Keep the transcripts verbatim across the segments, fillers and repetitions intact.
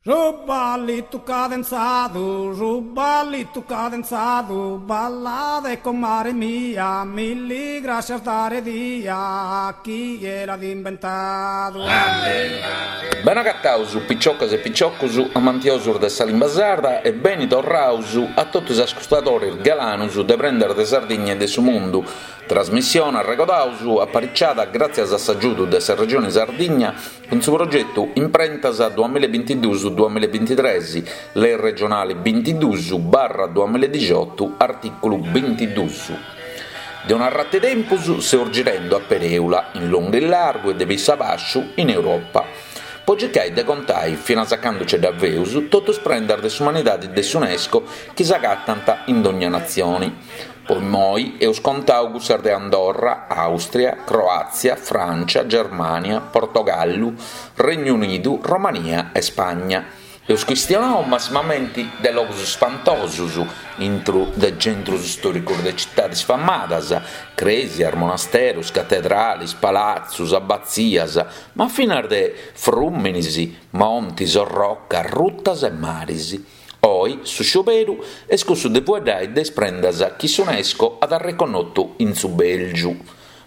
Su ballitu cadenzadu, su ballitu cadenzadu, ballade comare mia, milli grascias dare dia, chie l'at imbentadu. Beni agataus piciocas e piciocus amantiosus de sa limba sarda e beni torraus a totu is ascurtadores galanus de Prendas de Sardigna e de su Mundu, trasmissione, arregodaus, apariciada gràtzias a s'agiudu de sa Regione Sardigna cun su progetu Imprentas duamilla e bintiduus duamilla e bintitres, Lei regionale bintiduus barra duamilla e dixiotu, artìculu bintiduus. De un'arratu 'e tempus seus girendu a perèula, in longu e in largu e de pissu a bàsciu, in Europa, po circai de contai, finas a candu ce dda feus, totu is prendas de s'umanidadi de s'Unesco chi s'agatant in dònnia natzioni. Po immoi eus contau cussas de Andorra, Àustria, Croàtzia, Frància, Germània, Portogallu, Regnu Unidu, Romania e Spagna. Eus chistionau massimamenti de logus spantosus intru de centrus stòricus de citadis famadas, crèsias, monasterus, catedralis, palatzus, abatzias, ma finas de frùminis, montis, orrocas, rutas e maris. Oi su scioberu est cussu de fueddai de is prendas chi s'Unesco at arreconnotu in su Bèlgiu.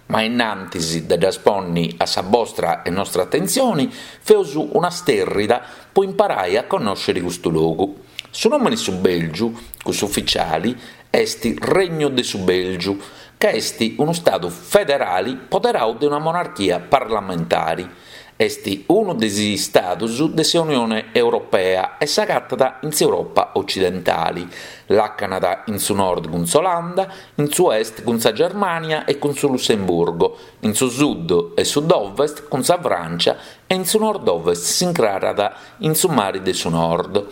Ma innantis de ddas ponni a sa bostra e nostra atentzioni, feus una stèrrida po imparai a connòscere custu logu. Su nòmene su Bèlgiu, cussu ufitziali, est Regnu de su Bèlgiu, ca est unu stadu federali poderau de una monarchia parlamentari. Est unu de is istadus de s'Unione Europea e s'agatat in s'Europa otzidentale. Làcanat in su nord cun s'Olanda, in su est cun sa Germània e cun su Lussemburgo, in su sud e sud-ovest cun sa Frància e in su nord-ovest s'incrarat in su Mare de su Nord.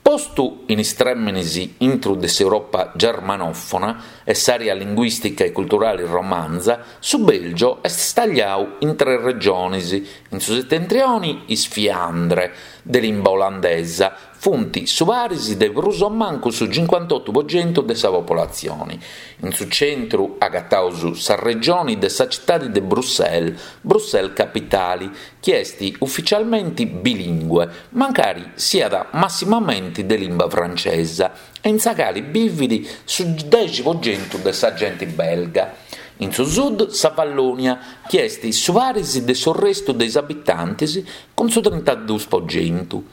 Postu in is trèmenes intru de s'Europa germanòfona e s'àrea linguìstica e culturale romanza, su Bèlgio est stagliau in tres regiones, in su setentrione is Fiandre, de limba olandesa, funt su paris de prus o mancu su cincuantotu po centu de sa popolatzione. In su centru agataus sa regione de sa citade de Bruxelles, Bruxelles Capitale, chi est ufitzialmente bilìngue, mancari siat massimamente de limba francesa, e in sa cale bivit su dexi po centu de sa gente belga. In su sud sa Vallònia, chi est su paris de su restu de is abitantes, cun su trintaduos po centu.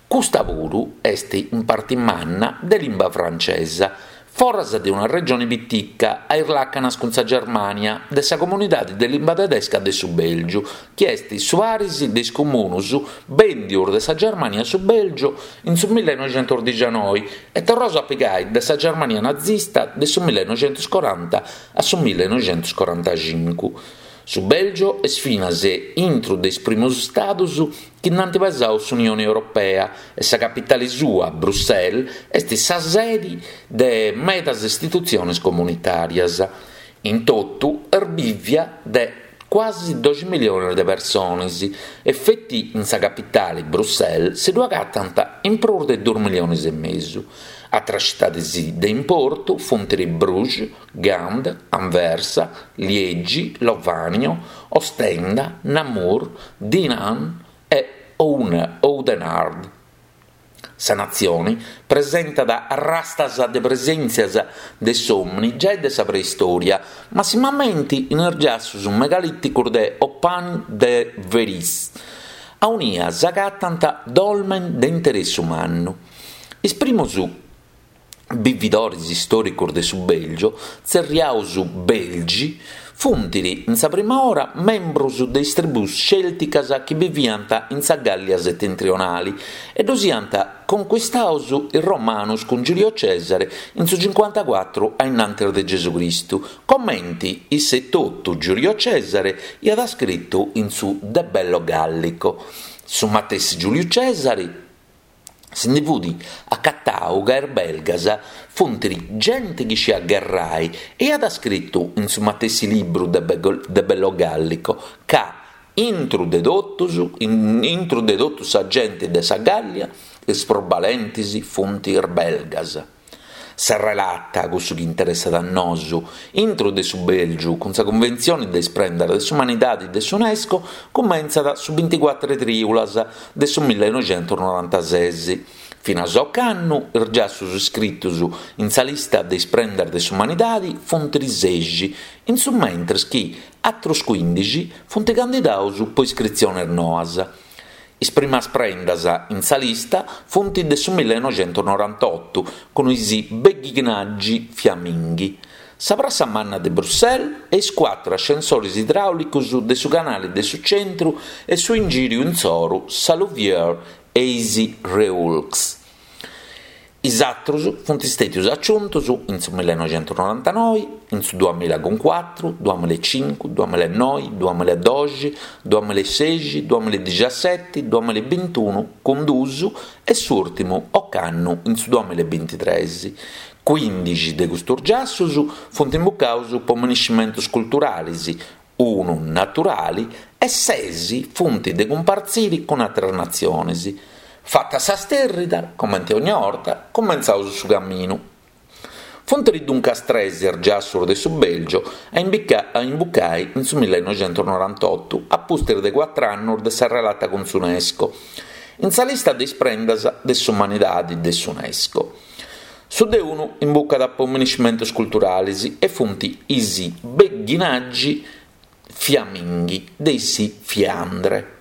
Custa puru est in parte manna de limba francesa, foras de una regione pitica a is làcanas cun sa Germània de sa comunidade de limba tedesca de su Bèlgiu, chi est su paris de is comunos bèndios de sa Germània a su Bèlgiu in su millenoixentosdixanoi e torrados a pigai de sa Germània nazista de su millenoixentoscoranta a su millenoixentoscorantacincu. Su Bèlgio est finas intru de is primos istados chi nd'ant pesadu s'Unione Europea e sa capitale sua, Bruxelles, est sa sede de medas istitutziones comunitàrias. In totu est bìvia de cuasi doxi milliones de persones e feti in sa capitale, Bruxelles, si ddu agatant in prus de duos milliones e mesu. Àteras citades de importu funt Bruges, Gand, Anversa, Liegi, Lovanio, Ostenda, Namur, Dinant e Oudenaarde. Sa natzione presentat arrastas de presèntzias de s'òmine giai de sa preistòria, massimamente in is giassos megalìticos de Oppagne-de-Veries, aunia s'agatant dolmen de interessu mannu. Is primos bividores istòricos de su Bèlgio, tzerriados Belgi, funt in sa prima ora membros de is tribùs cèlticas chi biviant in sa Gàllia setentrionale e ddos iant conquistados is Romanos cun Giulio Cesare in su cincuantacuatru a innantis de Gesù Cristu, comente isse etotu Giulio Cesare iat scritu in su De Bello Gallico. Su matessi Giuliu Cesare si ndi fut acatau ca is belgas funt gente chi sciat gherrai e iat scritu in su matessi libru de Bello Gallico ca intru de totus, intru de totu sa gente de sa Gàllia is prus balentes funt is belgas. Sa relata, cussu chi interessat a nosu, intru de su Bèlgiu cun sa Cunventzione de is Prendas de s'Umanidade de s'UNESCO cumentzat su binticuatru trìulas de su millenoixentusnorantases. Finas a ocannu is giassos iscritos in sa lista de is prendas de s'umanidade funt sexi, in su mentres chi àteros cuìndixi funt candidados pro iscritziones noas. Is primas prendas in sa lista funt de su millenoixentusnorantoto cun is Beghinaggi Fiamminghi, sa Prassa Manna de Bruxelles e is cuatru ascensores idràulicos de su Canale de su Centru e su ingìriu insoru, sa Louvière e is Reuilks. Is àteros funt istètios aciuntos in su millenoixentusnorantanoe, in su duamilla cun cuatru, duamilla e cincu, duamilla e noe, duamilla e doxi, duamilla e sexi, duamilla e dixaseti, duamilla e bintunu cun duus e s'ùrtimu ocannu in su duamilla e bintitres. Cuìndixi de custos giassos funt imbucados pro minescimentos culturales, unu naturale e ses funt de cumpartzire cun àteras natziones. Fata sa stèrrida, comente ogna 'orta, cumentzaus su caminu. Funt duncas tres is giassos de su Bèlgio a a imbucare in su millenoixentusnorantoto, a pustis de cuatru annos de sa relata cun s'UNESCO, in sa lista de is prendas de s'umanidade de s'UNESCO. Su de unu imbucat pro minescimentos culturales e funt is Beghinaggi Fiamminghi de is Fiandre.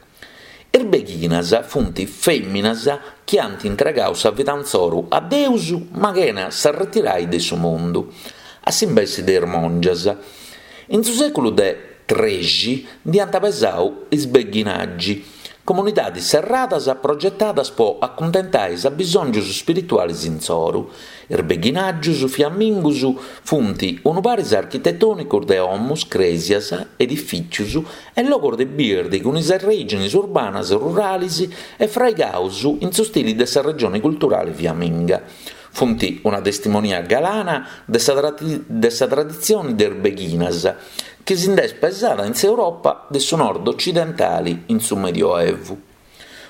Is beghinas funt fèminas chi ant intregadu sa vida insoru a Deus ma chena s'arretirai de su mundu, a s'imbesse de is mòngias. In su sèculu de trexi nd'iant pesadu is Beghinaggi, comunidades serradas progetadas pro acuntentare is abisòngios spirituales insoru. Is beghinàgios fiammingos funt unu paris architetònicos de domos, crèsias, edifìtzios e logos de birde cun is arrèigines urbanas rurales e fraigados in su stile de sa regione culturale fiamminga. Funt una testimonia galana de sa, de sa traditzione de is beghinas, chi si nd'est pesada in s'Europa de su nord occidentale in su Medioevu.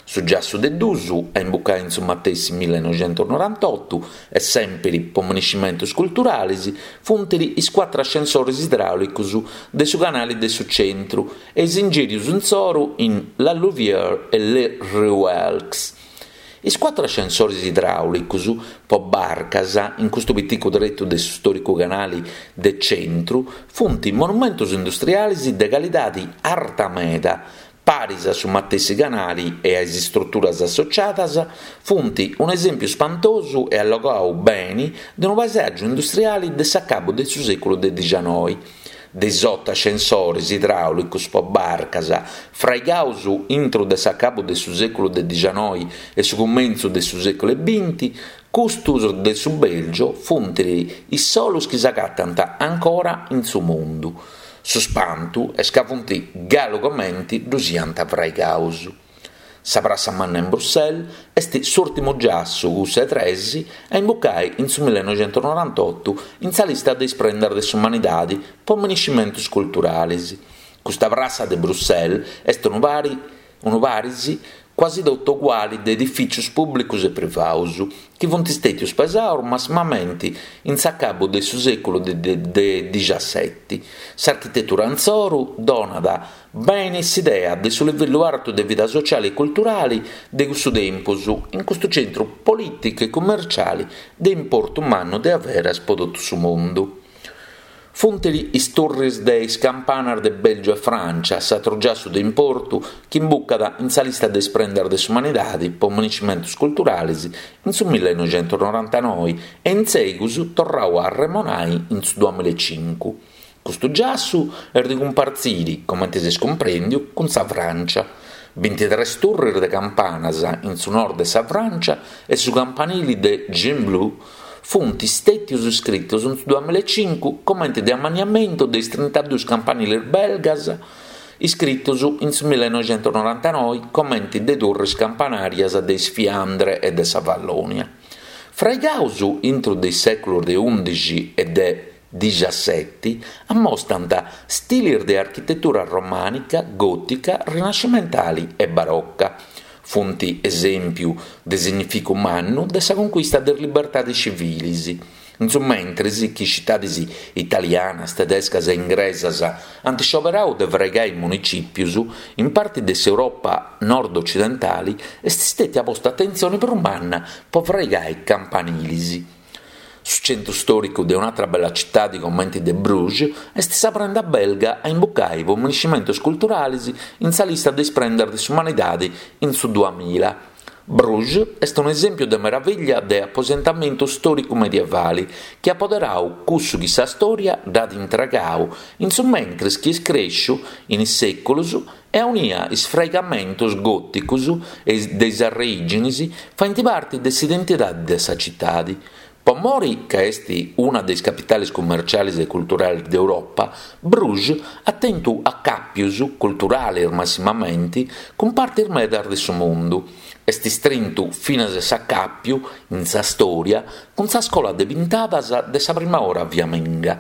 Su giassu de duus, a imbucare in su matessi millenoixentusnorantoto e sempre pro minescimentos culturales, funt is cuatru ascensores idràulicos de su Canale de su Centru e is ingìrios insoru in La Louvière e Le Reuilks. Is cuatru ascensores idràulicos pro barcas in custu piticu tretu de su stòricu canale de centru funt monumentos industriales de calidade arta meda, paris a su matessi canale e a is istruturas associadas, funt un'esèmpiu spantosu e allogadu bene de unu paesàgiu industriale de s'acabu de su sèculu de dicianoi. De is oto ascensores idràulicos pro barcas fraigados intro de s'acabu de su sèculu de dicianoi e su cumentzu de su sèculu binti, custos de su Bèlgio funt is solos chi s'agatant ancora in su mundu. Su spantu est ca funt galu comente ddos iant fraigados. Sa Prassa Manna in Bruxelles est s'ùrtimu giassu, cussu 'e tres, a imbucare in su millenoixentusnorantoto in sa lista de is prendas de s'umanidade pro minescimentos culturales. Custa prassa de Bruxelles est unu, pari, unu paris quasi totu uguale de edifìtzios pùblicos e privados, chi funt istètios pesados massimamente in s'acabu de su sèculu de, de, de diciaseti. S'architetura insoru donat bene s'idea de su livellu artu de vida sociale e culturale de cussu tempus, in custu centru polìticu e commerciale de importu mannu de averas pro totu su mundu. Funt is turris de is campanas de Bèlgio e Frància, s'atru giassu de importu chi imbucat in sa lista de is prendas de s'umanidade pro minescimentos culturales in su millenoixentusnorantanoe e in segus torradu a arremonare in su duamilla e cincu. Custu giassu est de cumpartzire, comente s'est cumprèndiu, cun sa Frància. Bintitres turris de campanas in su nord de sa Frància e su campanile de Gembloux funt istètios iscritos in su duamilla e cincu comente de ammaniamentu de is trintaduos campaniles belgas iscritos in su millenoixentusnorantanoe comente de turris campanàrias de is Fiandre e de sa Vallònia. Fraigados intro de is sèculos de ùndixi e de diciaseti, ammostant stiles de architetura romànica, gòtica, rinascimentale e baroca. Funt esèmpiu de significu mannu de sa conchista de is libertades tziviles. In su mentres chi citades italianas, tedescas e ingresas ant scioberadu de fraigai municìpios, in parte de s'Europa nord-otzidentale est istètia posta atentzione prus manna pro fraigai campaniles. Su tzentru istòricu de un'àtera bella citade comente de Bruges est sa prenda belga a imbucare pro minescimentos culturales in sa lista de is prendas de s'umanidade in su duamilla. Bruges est un'esèmpiu de meravìllia de aposentamentu istòricu medievale chi at poderadu cussu chi sa stòria dd'at intregadu in su mentres chi est crèschidu in is sèculos e aunia is fraigamentos gòticos de is arreìgines faghent parte de s'identidade de sa citade. Pro more ca est una de is capitales cummertziales e culturales de Europa, Bruges at tentu acàpios, culturales massimamente, cun partes medas de su mundu. Est istrintu finas s'acàpiu, in sa stòria, cun sa scola de pintadas de sa prima ora fiaminga.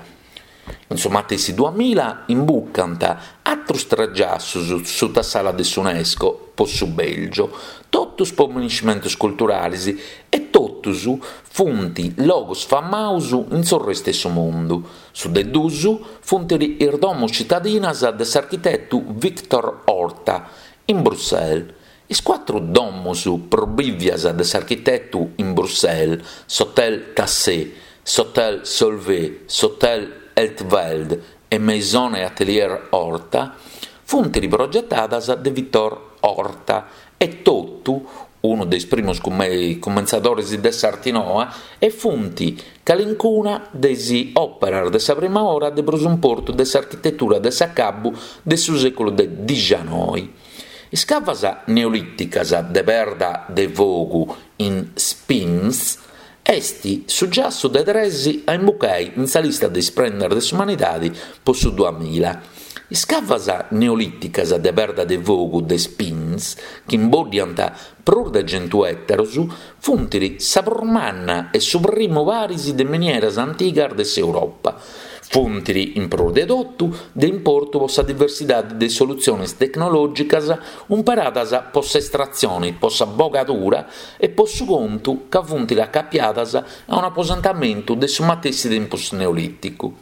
In su matessi duamilla imbucant àteros tres giassos suta s'ala de s'UNESCO pro su Bèlgio, totus pro minescimentos culturales e totus funt logos famados in su restu de su mundu. Su de duos funt is domos citadinas de s'architetu Victor Horta in Bruxelles. Is cuatru domos prus bìvias de s'architetu in Bruxelles, s'Hotel Tassé, s'Hotel Solvay, s'Hotel Eltveld e Maison et Atelier Horta, funt progetadas de Victor Horta e totu, unu de is primos cumentzadores de s'arte noa, e funt calincuna de is òperas de sa prima ora de prus importu de s'architetura de s'acabu de su sèculu de dicianoi. Is cavas neolìticas de perda de fogu in Spins est su giassu de tres a imbucare in sa lista de is prendas de s'umanidade pro su duamilla. Is cavas neolìticas de perda de fogu de Spins, chi imboddiant prus de chentu ètaros, funt sa prus manna e su primu paris de minieras antigas de s'Europa. Funt, in prus de totu, de importu pro sa diversidade de solutziones tecnològicas umperadas pro s'estratzione, pro sa bogadura e pro su contu ca funt acapiadas a un'aposentamentu de su matessi tempus neolìticu.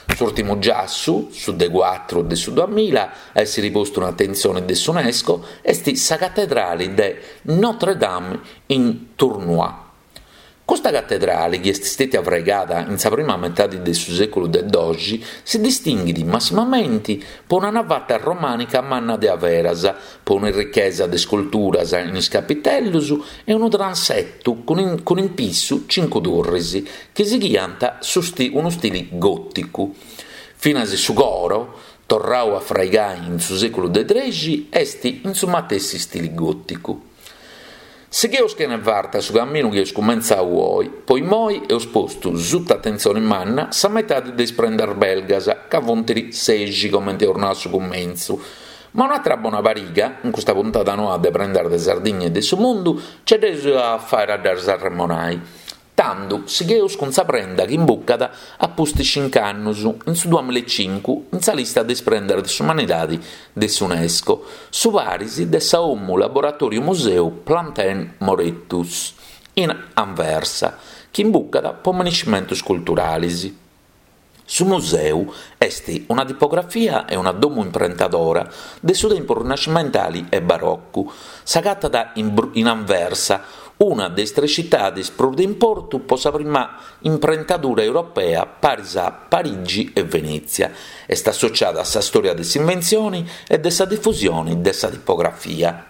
S'ùrtimu giassu, su de cuatru de su duamilla, a èssere postu in atentzione de s'UNESCO, est sa catedrale de Notre-Dame in Tournai. Custa catedrale, chi est istètia fraigada in sa prima metade de su sèculu de doxi, si distinghet massimamente pro una navata romànica manna de averas, pro una richesa de isculturas in is capitellos e unu transetu cun in, cun in pissu cincu turres chi sighiant su sti, unu stile gòticu. Finas su coro, torradu a fraigare in su sèculu de trexi, est in su matessi stile gòticu. Sigheus chene farta su caminu chi eus cumentzadu oe, pro imoi eus postu suta atentzione manna sa metade de is prendas belgas, ca funt sexi comente eus nau a su cumentzu. Ma un'àtera bona pariga, in custa puntada noa de Prendas de Sardigna e de su Mundu, ce dd'eus a fàere a ddas arremonai. Tando, sigheus cun sa prenda chi imbucat a pustis cinc'annus, in su duamilla e cincu, in sa lista de is prendas de s'umanidade de s'UNESCO, su paris de sa Domu Laboratòriu Museu Plantin Moretus, in Anversa, chi imbucat pro minescimentos culturales. Su museu est una tipografia e una domu imprentadora de su tempus rinascimentale e baroccu. S'agatat in, in Anversa, una de is tres citades prus de importu pro sa prima imprentadura europea paris a Parigi e Venètzia. Est associada a sa stòria de s'inventzione e de sa difusione de sa tipografia.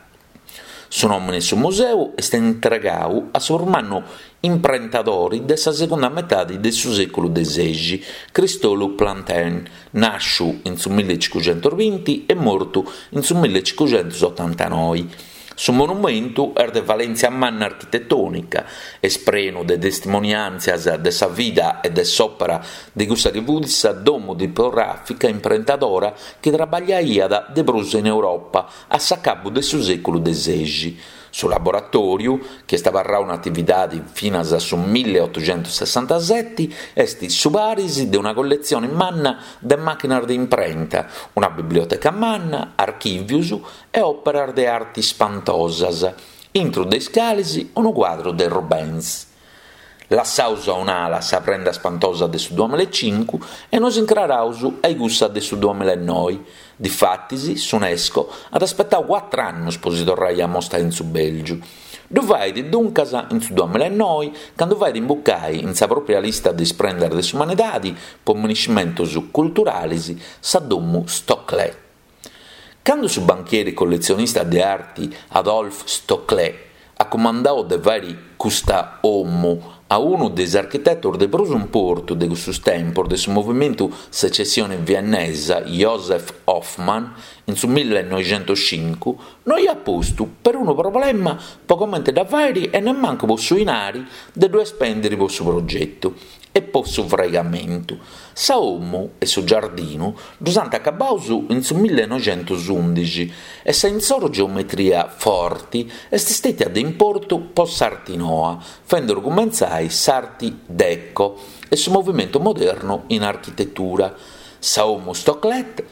Su nòmine de su museu est intregadu a su prus mannu imprentadore de sa segunda metade de su sèculu de sexi, Cristolu Plantin, nàsciu in su millecincuxentos binti e mortu in su millecincuxentos otantanoe. Su monumentu est de valèntzia manna architetònica, est prenu de testimoniàntzias de sa vida e de s'òpera de cussa chi fut sa domu tipogràfica imprentadora chi trabagliaiat de prus in Europa a s'acabu de su sèculu de sexi. Su laboratòriu, chi est abarradu in atividade finas a su milleotoghentosessantasete, est su paris de una colletzione manna de màchinas de imprenta, una biblioteca manna, archìvios e òperas de arte ispantosas, intro de is cales unu cuadru de Rubens. Lassaus a un'ala sa prenda spantosa de su duamillaecincu e nos incraraus a cussa de su duamillaenoe. Difatis, s'UNESCO at aspetadu cuatru annos pro si torrare a mostrare in su Bèlgiu. Ddu fait duncas in su duamillaenoe, cando fait imbucare in sa pròpia lista de is prendas de s'umanidade pro miniscimentos culturales sa domu Stoclet. Cando su banchieri colletzionista de arte Adolphe Stoclet at cumandadu de fàghere custa domu a unu de is architetos de prus importu de cussos tempos de su movimentu Secessione Viennesa, Josef Hoffmann, in su millenoighentocincu, no aiat postu perunu problema pro comente dda fàghere e nemmancu pro su dinari de ddu ispèndere pro su progetu e pro su fraigamentu. Sa domu e su giardinu ddos ant acabados in su millenoighentosùndighi e sa insoro geometria forte est istètia de importu pro s'arte noa, fende cumentzare s'Art Déco e su movimentu modernu in architetura. Sa domu Stoclet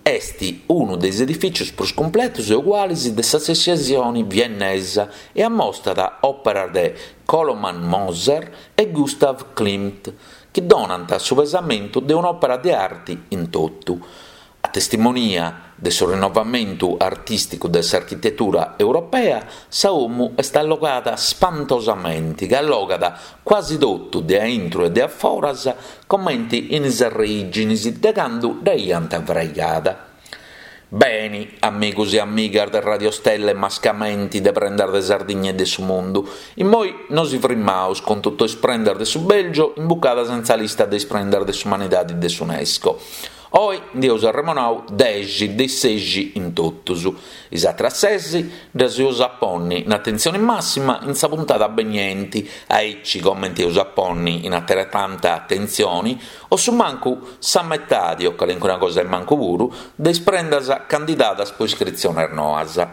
est unu de is edifìtzios prus cumpletos e uguales de sa Secessione Viennesa e ammostat òperas de Koloman Moser e Gustav Klimt, chi donant su pesamentu de un'òpera de arte in totu. A testimonia de su rinnovamentu artìsticu de s'architetura europea, sa domu est allogada spantosamente, ca allogat quasi totu de a intro e de a foras, comente in is arreìgines de cando dd'aiant fraigada. Beni, amigos e amigas de Radio Stella e mascamente de Prendas de Sardigna e de su Mundu, immoi nos frimaus cun totu is prendas de su Belgio imbucadas in sa lista de is prendas de s'umanidade de s'UNESCO. Oi nd'eus arremonau dexi de sexi in totus. Is atras ses ddas eus a ponni in atentzione massima in sa puntada beniente, aici comente eus a ponni in ateretanta atentzione o su mancu sa metade o calincuna cosa in mancu puru de is prendas candidadas pro iscritziones noas.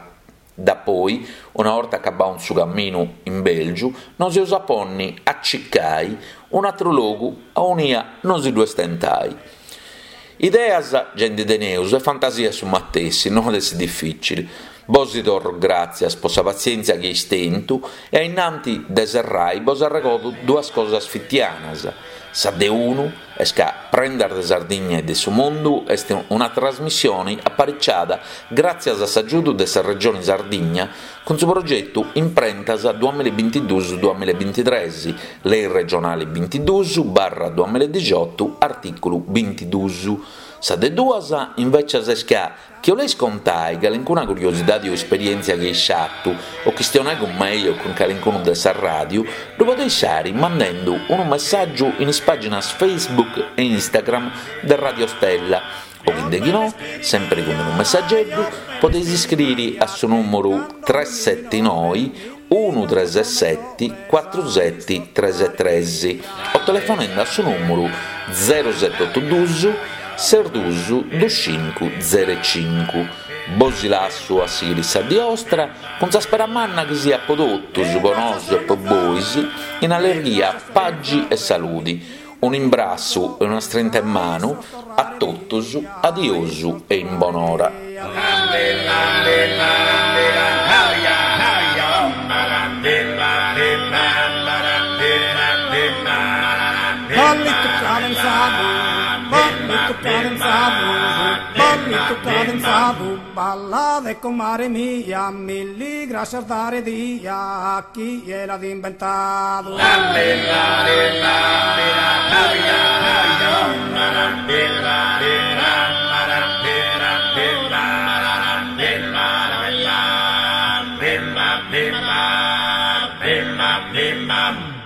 Da poi, una volta acabadu su camminu in Belgiu, nos eus a ponni a circai un atru logu aunia non si ddu stentai. Ideas già ndi teneus e fantasia su matessi, non est difficile. Bos torro gràtzias pro sa pazienza chi eis tentu e ainnanti de serrai bos arregodo duas cosas fitianas. Sa de unu est ca Prendas de Sardigna e de su Mundu est una trasmissione apariciada gràtzias a s'agiudu de sa Regione Sardigna cun su progetu Imprentas duamillabintiduus duamillabintitres, Lei regionale bintiduus barra duamiladixotu, artìculu bintiduus. Sa de duas, invecias, est ca chi 'oleis contai calincuna curiosidade o esperièntzia chi eis fatu o chistionai cun mei o cun calincunu de sa ràdiu, ddu podeis fari mandando unu messàgiu in is pàginas Facebook e Instagram de Radio Stella o chindechinò, sempre cun unu messageddu, podeis iscriri a su nùmeru tres sete noe unu tres sete cuatru sete tres tres o telefonende a su nùmeru zero sete oto duus ses duus dus cincu zero cincu. Bos lasso a sighire sa die ostra cun sa spera manna chi siat pro totus, pro nosu e pro bois, in allegria, pagi e saludi. Un imbrassu e una strinta in manu a totus, adiosu e in bonora. Ballito cadenzado, ballito cadenzado, ballito cadenzado, balla de comare mia, milli gracias dare dia a chi l'ha inventado. Bimba, bimba, bimba.